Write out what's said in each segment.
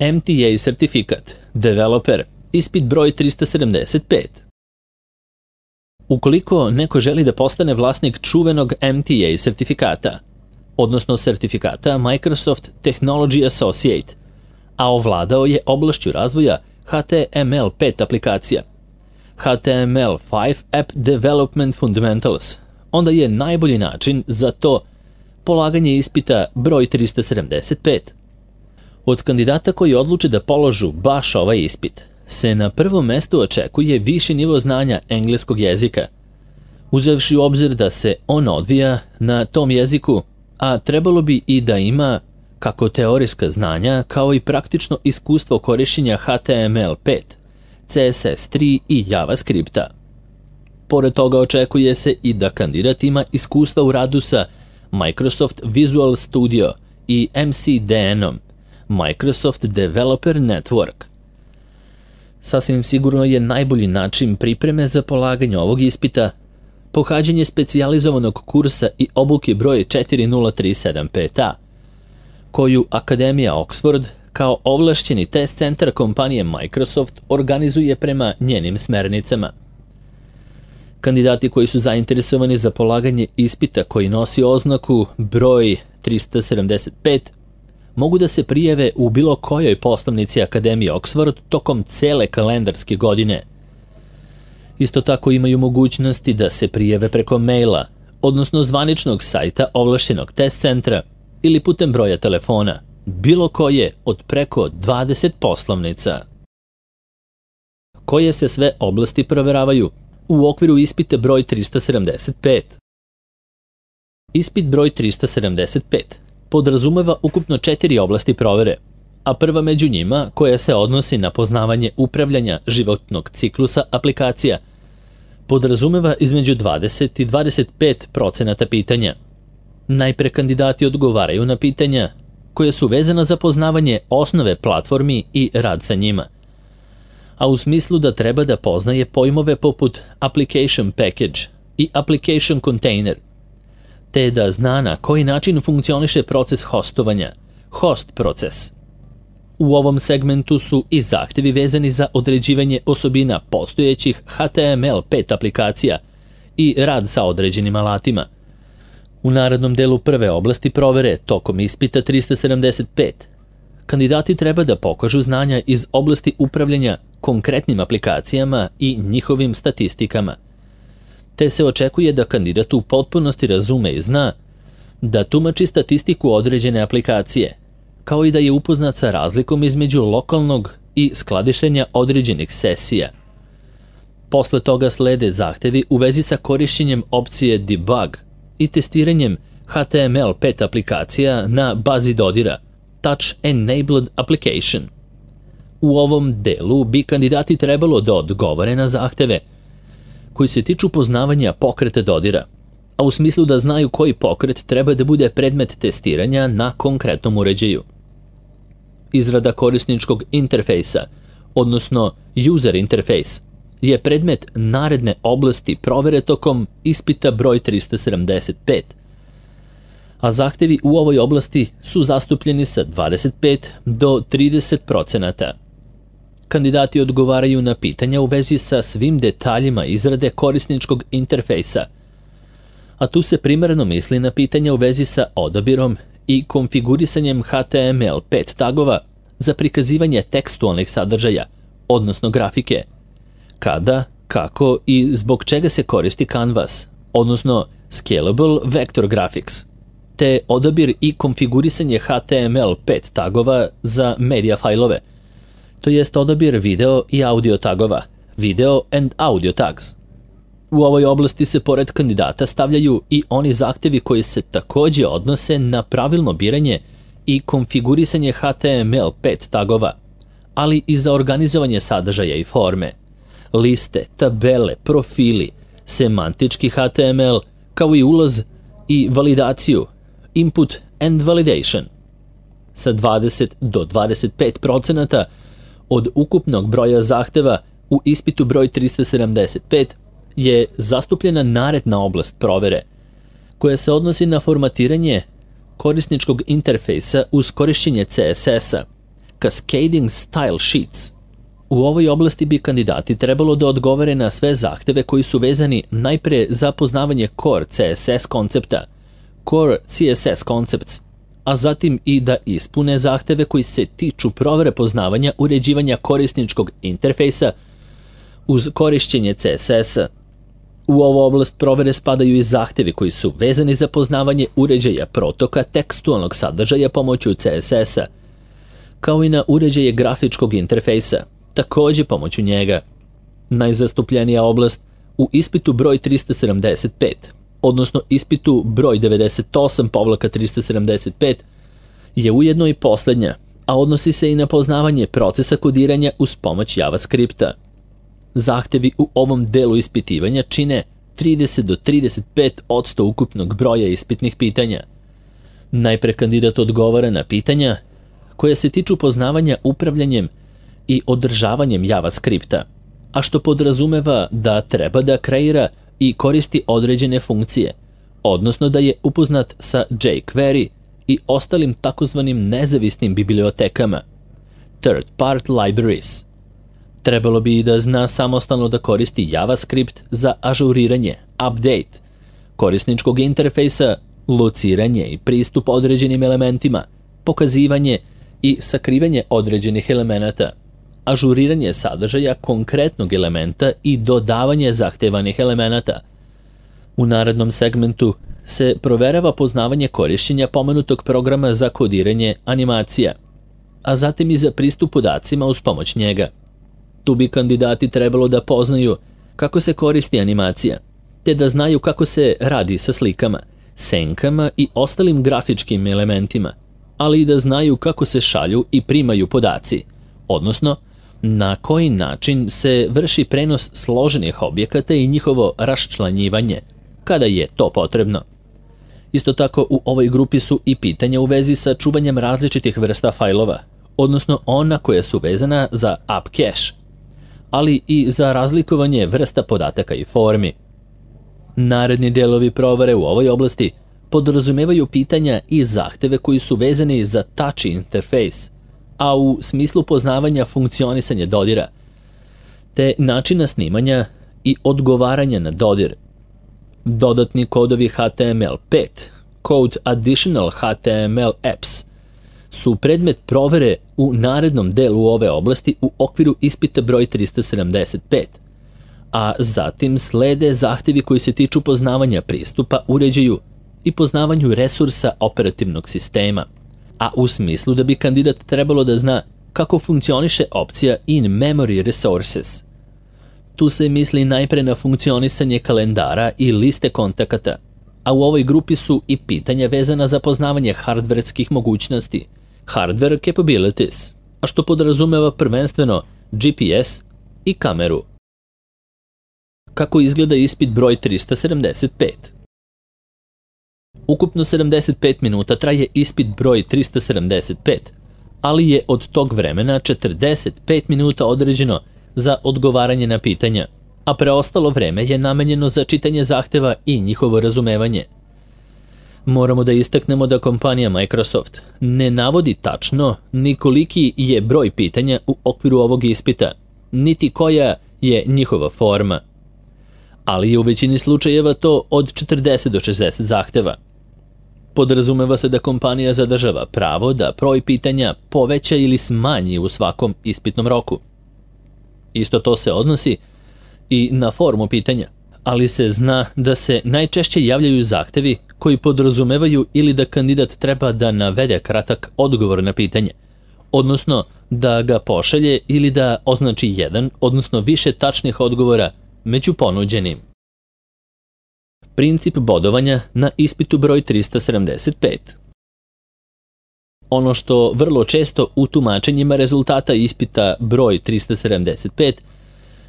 MTA sertifikat, developer, ispit broj 375. Ukoliko neko želi da postane vlasnik čuvenog MTA sertifikata, odnosno sertifikata Microsoft Technology Associate, a ovladao je oblašću razvoja HTML5 aplikacija, HTML5 App Development Fundamentals, onda je najbolji način za to polaganje ispita broj 375. Od kandidata koji odluče da položu baš ovaj ispit se na prvom mestu očekuje viši nivo znanja engleskog jezika, uzevši u obzir da se on odvija na tom jeziku, a trebalo bi i da ima kako teorijska znanja kao i praktično iskustvo korišćenja HTML5, CSS3 i JavaScripta. Pored toga očekuje se i da kandidat ima iskustva u radu sa Microsoft Visual Studio i MCDN-om, Microsoft Developer Network. Sasvim sigurno je najbolji način pripreme za polaganje ovog ispita pohađanje specijalizovanog kursa i obuke broj 4037-5A, koju Akademija Oxford kao ovlašćeni test centar kompanije Microsoft organizuje prema njenim smernicama. Kandidati koji su zainteresovani za polaganje ispita koji nosi oznaku broj 375 mogu da se prijave u bilo kojoj poslovnici Akademije Oxford tokom cele kalendarske godine. Isto tako imaju mogućnosti da se prijave preko maila, odnosno zvaničnog sajta ovlašćenog test centra ili putem broja telefona, bilo koje od preko 20 poslovnica. Koje se sve oblasti proveravaju u okviru ispita broj 375? Ispit broj 375 podrazumeva ukupno 4 oblasti provere, a prva među njima, koja se odnosi na poznavanje upravljanja životnog ciklusa aplikacija, podrazumeva između 20 i 25% pitanja. Najpre kandidati odgovaraju na pitanja koje su vezana za poznavanje osnove platformi i rad sa njima, a u smislu da treba da poznaje pojmove poput application package i application container, te da zna na koji način funkcioniše proces hostovanja, host proces. U ovom segmentu su i zahtevi vezani za određivanje osobina postojećih HTML5 aplikacija i rad sa određenim alatima. U narednom delu prve oblasti provere tokom ispita 375, kandidati treba da pokažu znanja iz oblasti upravljanja konkretnim aplikacijama i njihovim statistikama, te se očekuje da kandidat u potpunosti razume i zna da tumači statistiku određene aplikacije, kao i da je upoznat sa razlikom između lokalnog i skladištenja određenih sesija. Posle toga slede zahtevi u vezi sa korišćenjem opcije debug i testiranjem HTML5 aplikacija na bazi dodira Touch Enabled Application. U ovom delu bi kandidati trebalo da odgovore na zahteve koji se tiču poznavanja pokreta dodira, a u smislu da znaju koji pokret treba da bude predmet testiranja na konkretnom uređaju. Izrada korisničkog interfejsa, odnosno user interface, je predmet naredne oblasti provere tokom ispita broj 375, a zahtevi u ovoj oblasti su zastupljeni sa 25 do 30%. Kandidati odgovaraju na pitanja u vezi sa svim detaljima izrade korisničkog interfejsa, a tu se primarno misli na pitanja u vezi sa odabirom i konfigurisanjem HTML5 tagova za prikazivanje tekstualnih sadržaja, odnosno grafike, kada, kako i zbog čega se koristi Canvas, odnosno Scalable Vector Graphics, te odabir i konfigurisanje HTML5 tagova za media fajlove, to jest odabir video i audio tagova, video and audio tags. U ovoj oblasti se pored kandidata stavljaju i oni zahtevi koji se takođe odnose na pravilno biranje i konfigurisanje HTML5 tagova, ali i za organizovanje sadržaja i forme, liste, tabele, profili, semantički HTML, kao i ulaz i validaciju, input and validation. Sa 20 do 25% od ukupnog broja zahteva u ispitu broj 375 je zastupljena naredna oblast provere, koja se odnosi na formatiranje korisničkog interfejsa uz korišćenje CSS-a, Cascading Style Sheets. U ovoj oblasti bi kandidati trebalo da odgovore na sve zahteve koji su vezani najpre za poznavanje Core CSS koncepta, Core CSS Concepts, a zatim i da ispune zahteve koji se tiču provere poznavanja uređivanja korisničkog interfejsa uz korišćenje CSS-a. U ovu oblast provere spadaju i zahtevi koji su vezani za poznavanje uređaja protoka tekstualnog sadržaja pomoću CSS-a, kao i na uređaje grafičkog interfejsa, takođe pomoću njega. Najzastupljenija oblast u ispitu broj 375, odnosno ispitu broj 98/375, je ujedno i poslednja, a odnosi se i na poznavanje procesa kodiranja uz pomoć JavaScripta. Zahtevi u ovom delu ispitivanja čine 30 do 35% ukupnog broja ispitnih pitanja. Najpre kandidat odgovara na pitanja koje se tiču poznavanja upravljanjem i održavanjem JavaScripta, a što podrazumeva da treba da kreira i koristi određene funkcije, odnosno da je upoznat sa jQuery i ostalim takozvanim nezavisnim bibliotekama, third-party libraries. Trebalo bi i da zna samostalno da koristi JavaScript za ažuriranje, update, korisničkog interfejsa, lociranje i pristup određenim elementima, pokazivanje i sakrivanje određenih elemenata, ažuriranje sadržaja konkretnog elementa i dodavanje zahtevanih elemenata. U narednom segmentu se proverava poznavanje korišćenja pomenutog programa za kodiranje animacija, a zatim i za pristup podacima uz pomoć njega. Tu bi kandidati trebalo da poznaju kako se koristi animacija, te da znaju kako se radi sa slikama, senkama i ostalim grafičkim elementima, ali i da znaju kako se šalju i primaju podaci, odnosno na koji način se vrši prenos složenih objekata i njihovo raščlanjivanje, kada je to potrebno. Isto tako u ovoj grupi su i pitanja u vezi sa čuvanjem različitih vrsta fajlova, odnosno ona koja su vezana za app cache, ali i za razlikovanje vrsta podataka i formi. Naredni delovi provere u ovoj oblasti podrazumevaju pitanja i zahteve koji su vezani za touch interface, a u smislu poznavanja funkcionisanja dodira, te načina snimanja i odgovaranja na dodir. Dodatni kodovi HTML5, Code Additional HTML Apps, su predmet provere u narednom delu ove oblasti u okviru ispita broj 375, a zatim slede zahtevi koji se tiču poznavanja pristupa uređaju i poznavanju resursa operativnog sistema, a u smislu da bi kandidat trebalo da zna kako funkcioniše opcija In Memory Resources. Tu se misli najpre na funkcionisanje kalendara i liste kontakata, a u ovoj grupi su i pitanja vezana za poznavanje hardverskih mogućnosti, hardware capabilities, a što podrazumeva prvenstveno GPS i kameru. Kako izgleda ispit broj 375? Ukupno 75 minuta traje ispit broj 375, ali je od tog vremena 45 minuta određeno za odgovaranje na pitanja, a preostalo vreme je namenjeno za čitanje zahteva i njihovo razumevanje. Moramo da istaknemo da kompanija Microsoft ne navodi tačno ni koliki je broj pitanja u okviru ovog ispita, niti koja je njihova forma, ali je u većini slučajeva to od 40 do 60 zahteva. Podrazumeva se da kompanija zadržava pravo da broj pitanja poveća ili smanji u svakom ispitnom roku. Isto to se odnosi i na formu pitanja, ali se zna da se najčešće javljaju zahtevi koji podrazumevaju ili da kandidat treba da navede kratak odgovor na pitanje, odnosno da ga pošalje ili da označi jedan, odnosno više tačnih odgovora među ponuđenim. Princip bodovanja na ispitu broj 375. Ono što vrlo često u tumačenjima rezultata ispita broj 375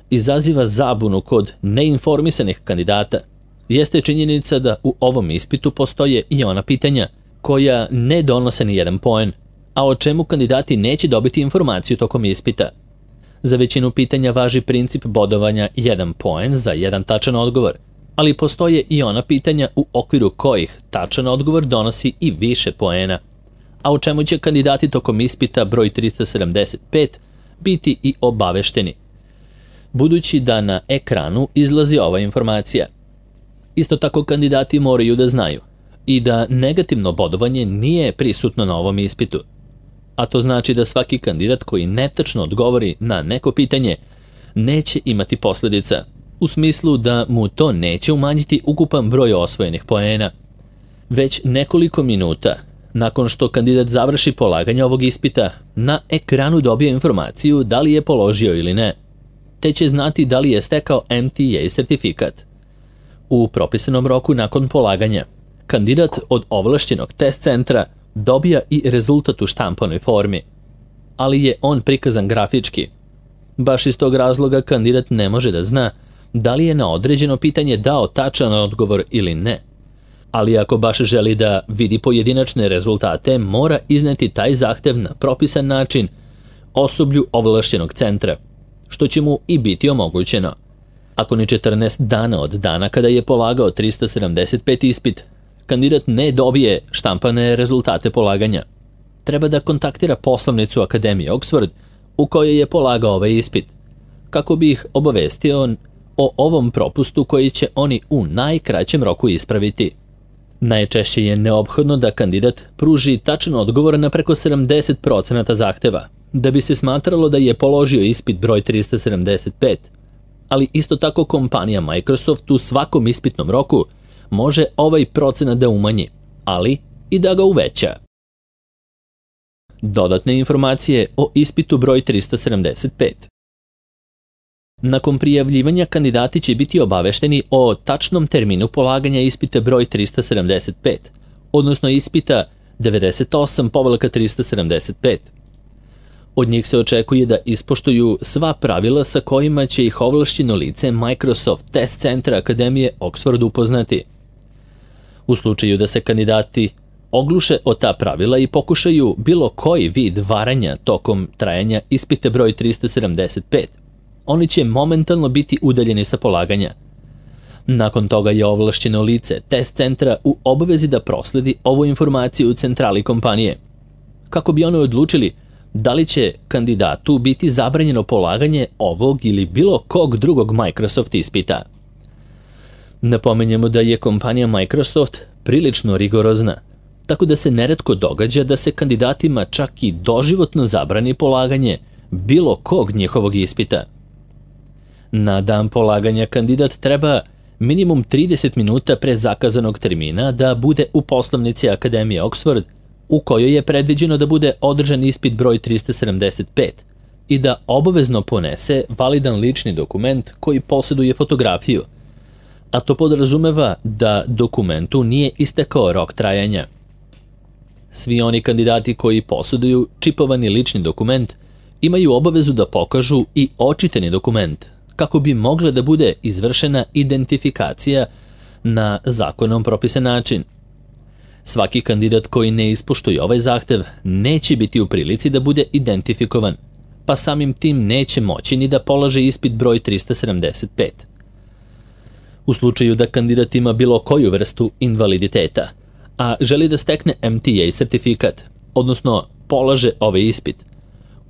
izaziva zabunu kod neinformisanih kandidata jeste činjenica da u ovom ispitu postoje i ona pitanja koja ne donose ni jedan poen, a o čemu kandidati neće dobiti informaciju tokom ispita. Za većinu pitanja važi princip bodovanja 1 poen za jedan tačan odgovor, ali postoje i ona pitanja u okviru kojih tačan odgovor donosi i više poena, a o čemu će kandidati tokom ispita broj 375 biti i obavešteni, budući da na ekranu izlazi ova informacija. Isto tako kandidati moraju da znaju i da negativno bodovanje nije prisutno na ovom ispitu, a to znači da svaki kandidat koji netačno odgovori na neko pitanje neće imati posledica, u smislu da mu to neće umanjiti ukupan broj osvojenih poena. Već nekoliko minuta nakon što kandidat završi polaganje ovog ispita, na ekranu dobije informaciju da li je položio ili ne, te će znati da li je stekao MTA sertifikat. U propisanom roku nakon polaganja, kandidat od ovlašćenog test centra dobija i rezultat u štampanoj formi, ali je on prikazan grafički. Baš iz tog razloga kandidat ne može da zna da li je na određeno pitanje dao tačan odgovor ili ne. Ali ako baš želi da vidi pojedinačne rezultate, mora izneti taj zahtev na propisan način osoblju ovlašćenog centra, što će mu i biti omogućeno. Ako ni 14 dana od dana kada je polagao 375 ispit, kandidat ne dobije štampane rezultate polaganja, treba da kontaktira poslovnicu Akademije Oxford u kojoj je polagao ovaj ispit, kako bi ih obavestio o ovom propustu koji će oni u najkraćem roku ispraviti. Najčešće je neophodno da kandidat pruži tačan odgovor na preko 70% zahteva, da bi se smatralo da je položio ispit broj 375, ali isto tako kompanija Microsoft u svakom ispitnom roku može ovaj procenat da umanji, ali i da ga uveća. Dodatne informacije o ispitu broj 375. Nakon prijavljivanja kandidati će biti obavešteni o tačnom terminu polaganja ispita broj 375, odnosno ispita 98/375. Od njih se očekuje da ispoštuju sva pravila sa kojima će ih ovlašćeno lice Microsoft Test Centra Akademije Oxford upoznati. U slučaju da se kandidati ogluše o ta pravila i pokušaju bilo koji vid varanja tokom trajanja ispita broj 375, oni će momentalno biti udaljeni sa polaganja. Nakon toga je ovlašćeno lice test centra u obavezi da prosledi ovu informaciju u centrali kompanije, kako bi oni odlučili da li će kandidatu biti zabranjeno polaganje ovog ili bilo kog drugog Microsoft ispita. Napominjemo da je kompanija Microsoft prilično rigorozna, tako da se neretko događa da se kandidatima čak i doživotno zabrani polaganje bilo kog njihovog ispita. Na dan polaganja kandidat treba minimum 30 minuta pre zakazanog termina da bude u poslovnici Akademije Oxford, u kojoj je predviđeno da bude održan ispit broj 375 i da obavezno ponese validan lični dokument koji posjeduje fotografiju, a to podrazumeva da dokumentu nije istekao rok trajanja. Svi oni kandidati koji posjeduju čipovani lični dokument imaju obavezu da pokažu i očitani dokument, kako bi mogla da bude izvršena identifikacija na zakonom propisan način. Svaki kandidat koji ne ispoštuje ovaj zahtev neće biti u prilici da bude identifikovan, pa samim tim neće moći ni da polaže ispit broj 375. U slučaju da kandidat ima bilo koju vrstu invaliditeta, a želi da stekne MTA sertifikat, odnosno polaže ovaj ispit,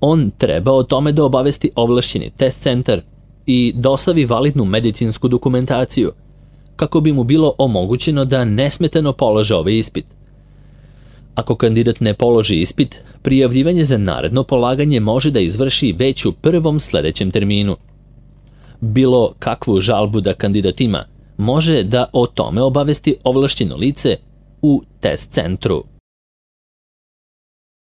on treba o tome da obavesti ovlašćeni test centar i dostavi validnu medicinsku dokumentaciju, kako bi mu bilo omogućeno da nesmetano polaže ovaj ispit. Ako kandidat ne položi ispit, prijavljivanje za naredno polaganje može da izvrši već u prvom sledećem terminu. Bilo kakvu žalbu da kandidat ima, može da o tome obavesti ovlašćeno lice u test centru.